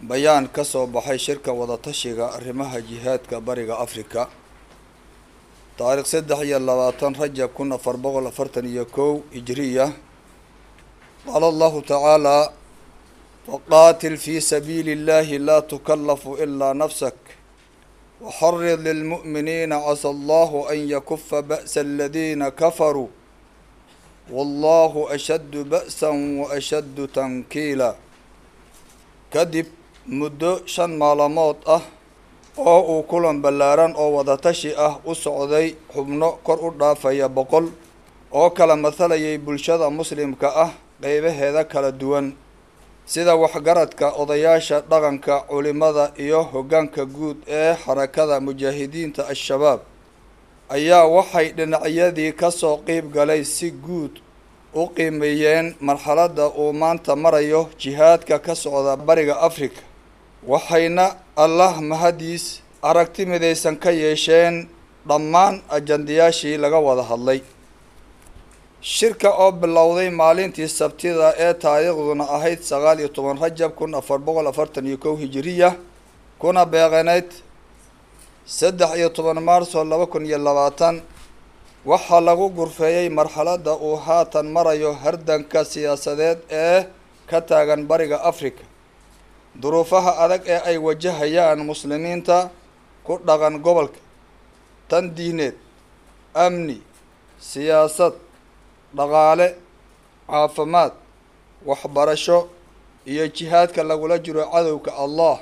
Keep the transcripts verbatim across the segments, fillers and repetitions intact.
Bayaan ka soo baxay shirka wadatashiga arrimaha jihaadka Bariga Afrika, taariikh saddex iyo labaatan Rajab kun afar boqol afartan iyo kow Hijriya. Qaala Allahu tacaala: faqaatil fi sabiili illahi laa tukallafu ilaa nafsak waxarid lilmu'miniina casa Allahu an yakufa ba'sa aladiina kafaruu wallahu ashaddu ba'san wa ashaddu tankiila. Kadib muddo shan maalmood ah oo uu kulan ballaaran oo wadatashi ah u socday xubno kor u dhaafaya boqol oo kala mathalayay bulshada muslimka ah qeybaheeda kala duwan, sida waxgaradka, odayaasha dhaqanka, culimada iyo hoggaanka guud ee Xarakada Mujaahidiinta Al-Shabaab, ayaa waxay dhinacyadii kasoo qeyb galay si guud u qiimeeyeen marxaladda uu maanta marayo jihaadka ka socda Bariga Afrika, waxayna Allah mahadiis aragti midaysan ka yeesheen dhammaan ajandayaashii laga wada hadlay. Shirka oo bilowday maalintii Sabtida ee taariikhduna ahayd sagaal iyo toban Rajab kun afar boqol afartan iyo kow Hijiriya, kuna beeqaneyd saddex iyo toban Maarso laba kun iyo labaatan, waxaa lagu gurfeeyey marxaladda uu haatan marayo hardanka siyaasadeed ee ka taagan Bariga Afrika, duruufaha adag ee ay wajahayaan muslimiinta ku dhaqan gobolka, tan diineed, amni, siyaasad, dhaqaale, caafimaad, waxbarasho iyo jihaadka lagula jiro cadowga Allah.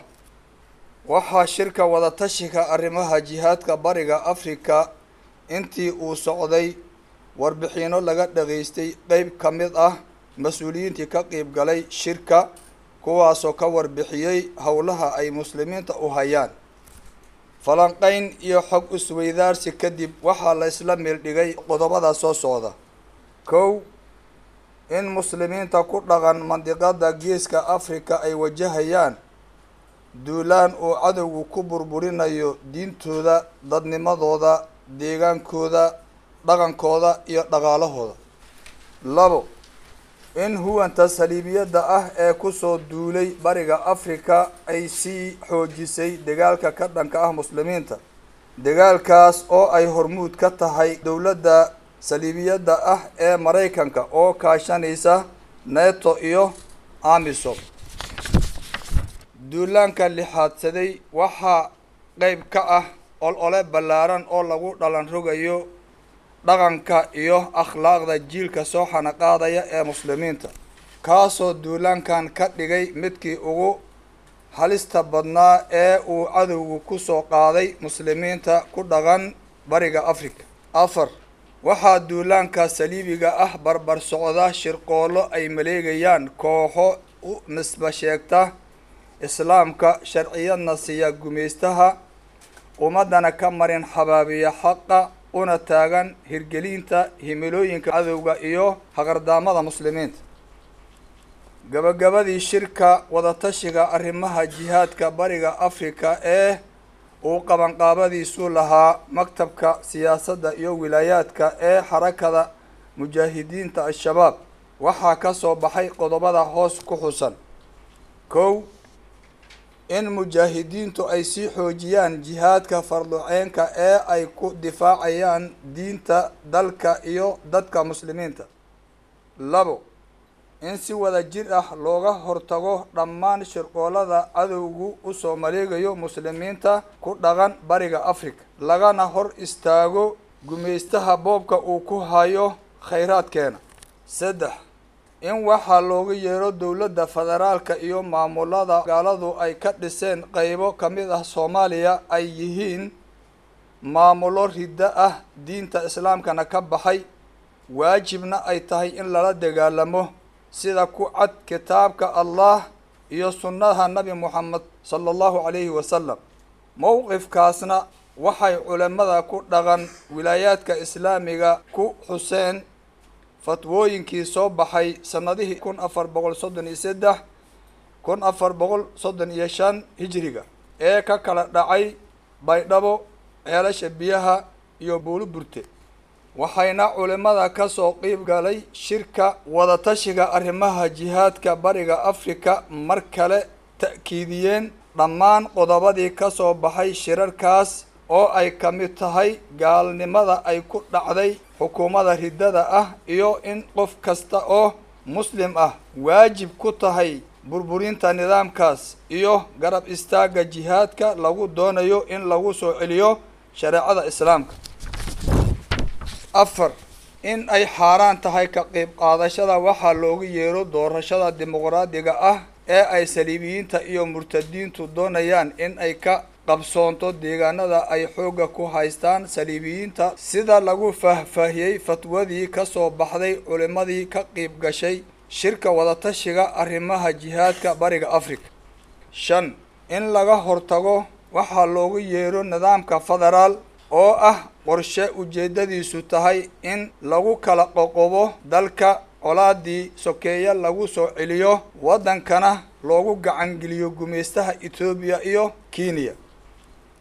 Waxaa shirka wadatashiga arrimaha jihaadka Bariga Afrika intii uu socday warbixino laga dhageystay qeyb ka mid ah mas-uuliyiintii ka qeyb galay shirka, kuwaasoo ka warbixiyey howlaha ay muslimiinta u hayaan. Falanqeyn iyo xog isweydaarsi kadib, waxaa la isla meeldhigay qodobada soo socda. Kow, in muslimiinta ku dhaqan mandiqada Geeska Afrika ay wajahayaan duulaan uu cadowgu ku burburinayo diintooda, dadnimadooda, deegaankooda, dhaqankooda iyo dhaqaalahooda. Labo, in huwanta saliibiyadda ah ee kusoo duulay Bariga Afrika ay sii xoojisay dagaalka ka dhanka ah muslimiinta, dagaalkaas oo ay hormuud ka tahay dowladda saliibiyadda ah ee Maraykanka oo kaashanaysa NATO iyo AMISOM. Duulaanka lixaadsaday waxaa qeyb ka ah olole ballaaran oo lagu dhalan rogayo dhaqanka iyo akhlaaqda jiilka soo xanaqaadaya ee muslimiinta, kaasoo duulaankan ka dhigay midkii ugu halista badnaa ee uu cadowgu kusoo qaaday muslimiinta ku dhaqan Bariga Afrika. Afar, waxaa duulaanka saliibiga ah barbar socda shirqoollo ay maleegayaan kooxo u nisba sheegta islaamka, sharciyadna siiya gumaystaha, ummadana ka marin xabaabiya xaqa, una taagan hirgelinta himilooyinka cadowga iyo haqardaamada muslimiinta. Gabagabadii, shirka wadatashiga arrimaha jihaadka Bariga Afrika ee uu qabanqaabadiisu lahaa maktabka siyaasadda iyo wilaayaadka ee Xarakada Mujaahidiinta Al-Shabaab waxaa ka soo baxay qodobada hoos ku xusan. Kow, in mujaahidiintu ay sii xoojiyaan jihaadka farduceenka ee ay ku difaacayaan diinta, dalka iyo dadka muslimiinta. Labo, in si wada jir ah looga hortago dhammaan shirqoolada cadowgu usoo maleegayo muslimiinta ku dhaqan Bariga Afrika, lagana hor istaago gumaystaha boobka uu ku hayo khayraadkeena. Saddex, in waxaa loogu yeero dowladda federaalka iyo maamulada gaaladu ay ka dhiseen qeybo ka mid ah Soomaaliya ay yihiin maamulo riddo ah, diinta islaamkana ka baxay, waajibna ay tahay in lala dagaalamo sida ku cad kitaabka Allah iyo sunnaha Nabi Moxamed sala Allahu calayhi wasalam. Mowqifkaasna waxay culimada ku dhaqan wilaayaadka islaamiga ku xuseen fatwooyinkii soo baxay sanadihii kun afar boqol soddon iyo saddex, kun afar boqol soddon iyo shan Hijriga ee ka kala dhacay Baydhabo, Ceelasha Biyaha iyo Buulo Burte. Waxayna culimada ka soo qeyb galay shirka wadatashiga arrimaha jihaadka Bariga Afrika mar kale ta'kiid ta'kiidiyeen dhammaan qodobadii ka soo baxay shirarkaas oo ay ka mid tahay gaalnimada ay ku dhacday xukuumadda riddada ah iyo in qof kasta oo muslim ah waajib ku tahay burburinta nidaamkaas iyo garab istaagga jihaadka lagu doonayo in lagu soo celiyo shareecada islaamka. Afar, in ay xaaraan tahay ka qayb qaadashada waxaa loogu yeero doorashada dimuqraadiga ah ee ay saliibiyiinta iyo murtadiintu doonayaan in ay ka qabsoonto deegaanada ay xoogga ku haystaan saliibiyiinta, sida lagu faahfaahiyey fatwadii ka soo baxday culimmadii ka qayb gashay shirka wadatashiga arrimaha jihaadka Bariga Afrika. Shan, in laga hortago waxaa loogu yeero nidaamka federaal oo ah qorshe ujeedadiisu tahay in lagu kala qoqobo dalka, colaadii sokeeye lagu soo celiyo, waddankana loogu gacangeliyo gumaystaha Etoobiya iyo Kenya.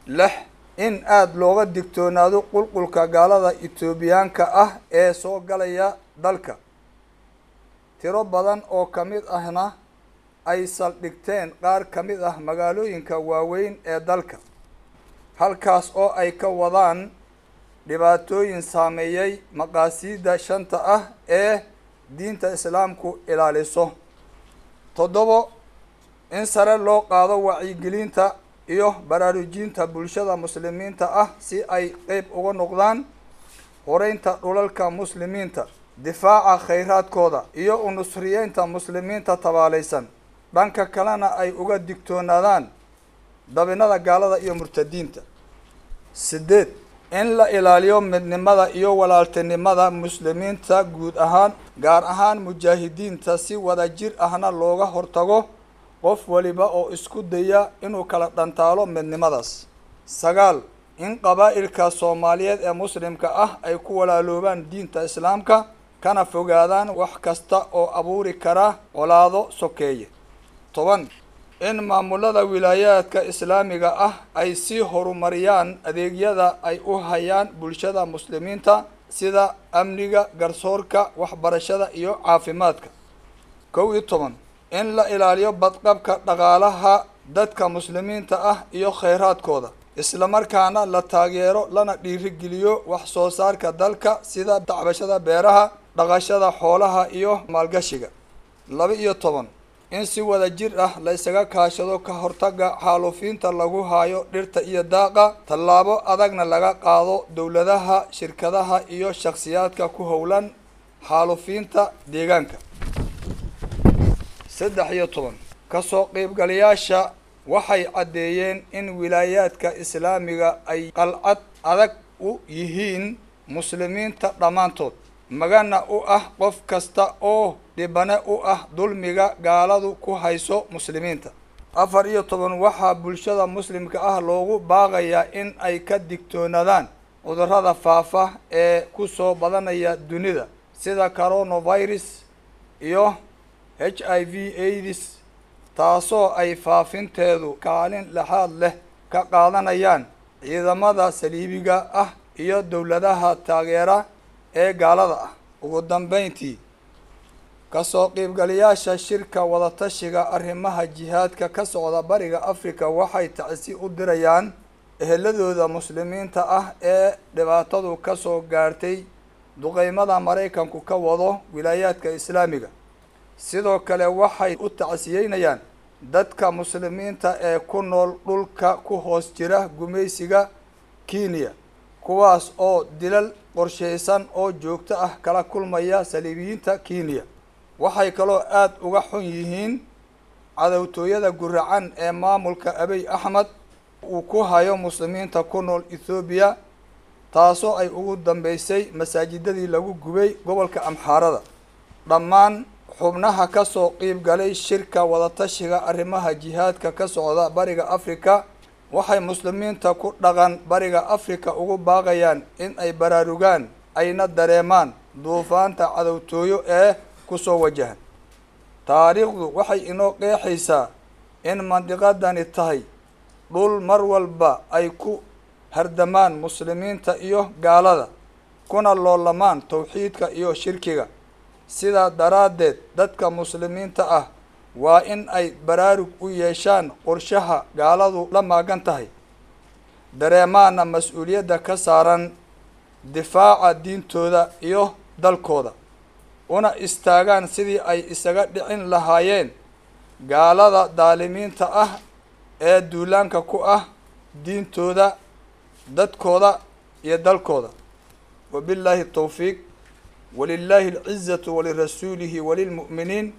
Lix, in aada looga digtoonaado qulqulka gaalada Etoobiyaanka ah ee soo galaya dalka, tiro badan oo ka mid ahna ay saldhigteen qaar ka mid ah magaalooyinka waaweyn ee dalka, halkaas oo ay ka wadaan dhibaatooyin saameeyay maqaasiidda shanta ah ee diinta islaamku ilaaliso. Toddobo, in sare loo qaado wacyigelinta iyo baraarujinta bulshada muslimiinta ah si ay qeyb uga noqdaan horeynta dhulalka muslimiinta, difaaca khayraadkooda iyo u nusriyeynta muslimiinta tabaalaysan, dhanka kalena ay uga digtoonaadaan dabinada gaalada iyo murtadiinta. Sideed, in la ilaaliyo midnimada iyo walaaltinimada muslimiinta guud ahaan, gaar ahaan mujaahidiinta, si wadajir ahna looga hortago qof waliba oo isku daya inuu kala dhantaalo midnimadaas. Sagaal, in qabaa'ilka Soomaaliyeed ee muslimka ah ay ku walaaloobaan diinta islaamka kana fogaadaan wax kasta oo abuuri kara colaado sokeeye. Toban, in maamulada wilaayaadka islaamiga ah ay sii horumariyaan adeegyada ay u hayaan bulshada muslimiinta sida amniga, garsoorka, waxbarashada iyo caafimaadka. Kow iyo toban, in la ilaaliyo badqabka dhaqaalaha dadka muslimiinta ah iyo kheyraadkooda, islamarkaana la taageero lana dhiirigeliyo wax soo saarka dalka sida tacbashada beeraha, dhaqashada xoolaha iyo maalgashiga. Laba iyo toban, in si wada jir ah la isaga kaashado ka hortagga xaalufinta lagu hayo dhirta iyo daaqa, tallaabo adagna laga qaado dowladaha, shirkadaha iyo shakhsiyaadka ku howlan xaalufinta deegaanka. Saddex iyo toban, kasoo qaybgalayaasha waxay caddeeyeen in wilaayaadka islaamiga ay qalcad adag u yihiin muslimiinta dhammaantood, magana u ah qof kasta oo dhibane u ah dulmiga gaaladu ku hayso muslimiinta. Afar iyo toban, waxaa bulshada muslimka ah loogu baaqayaa in ay ka digtoonaadaan cudurrada faafa ee ku soo badanaya dunida sida coronavirus iyo H I V AIDS, taasoo ay faafinteedu kaalin laxaad leh ka qaadanayaan ciidamada saliibiga ah iyo dowladaha taageera ee gaalada ah. Ugu dambeyntii, kasoo qaybgalayaasha shirka wadatashiga arrimaha jihaadka ka socda Bariga Afrika waxay tacsi u dirayaan eheladooda muslimiinta ah ee dhibaatadu ka soo gaartay duqeymada Maraykanku ka wado wilaayaadka islaamiga. Sidoo kale waxay u tacsiyeynayaan dadka muslimiinta ee ku nool dhulka ku hoos jira gumaysiga Kenya, kuwaas oo dilal qorsheysan oo joogto ah kala kulmaya saliibiyiinta Kenya. Waxay kaloo aada uga xun yihiin cadowtooyada guracan ee maamulka Abiy Axmed uu ku hayo muslimiinta ku nool Ethoobiya, taasoo ay ugu dambeysay masaajidadii lagu gubay gobolka Amxaarada. Dhammaan xubnaha ka soo qayb galay shirka wadatashiga arrimaha jihaadka ka socda Bariga Afrika waxay muslimiinta ku dhaqan Bariga Afrika ugu baaqayaan in ay baraarugaan ayna dareemaan duufaanta cadowtooyo ee kusoo wajahan. Taariikhdu waxay inoo qeexaysaa in mandiqadani tahay dhul mar walba ay ku hardamaan muslimiinta iyo gaalada, kuna loolamaan tawxiidka iyo shirkiga. Sidaa daraaddeed dadka muslimiinta ah Waa in ay baraarug u yeeshaan qorshaha gaaladu la maagan tahay, dareemaana mas-uuliyadda ka saaran difaaca diintooda iyo dalkooda, una istaagaan sidii ay isaga dhicin lahaayeen gaalada daalimiinta ah ee duulaanka ku ah diintooda, dadkooda iyo dalkooda. Wabillahi tawfiiq, walilahi alcizatu walirasuulihi walilmu'miniin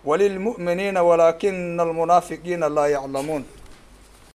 walilmu'miniina walaakina almunaafiqiina laa yaclamuun.